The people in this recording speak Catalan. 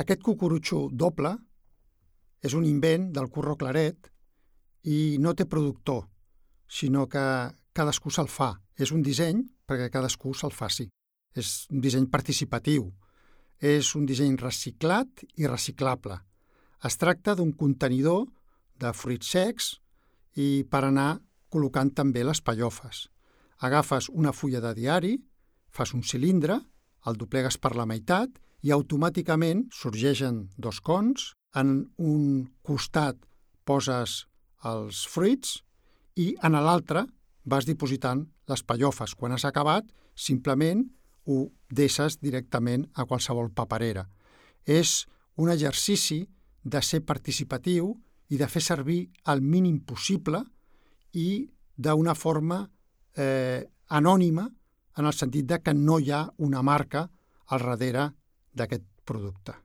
Aquest cucurutxo doble és un invent del Curro Claret i no té productor, sinó que cadascú se'l fa. És un disseny perquè cadascú se'l faci. És un disseny participatiu. És un disseny reciclat i reciclable. Es tracta d'un contenidor de fruits secs i per anar col·locant també les pallofes. Agafes una fulla de diari, fas un cilindre, el doblegues per la meitat i automàticament sorgeixen dos cons, en un costat poses els fruits i en l'altre vas dipositant les pallofes. Quan has acabat, simplement ho deixes directament a qualsevol paperera. És un exercici de ser participatiu i de fer servir el mínim possible i d'una forma anònima, en el sentit de que no hi ha una marca al darrere d'aquest producte.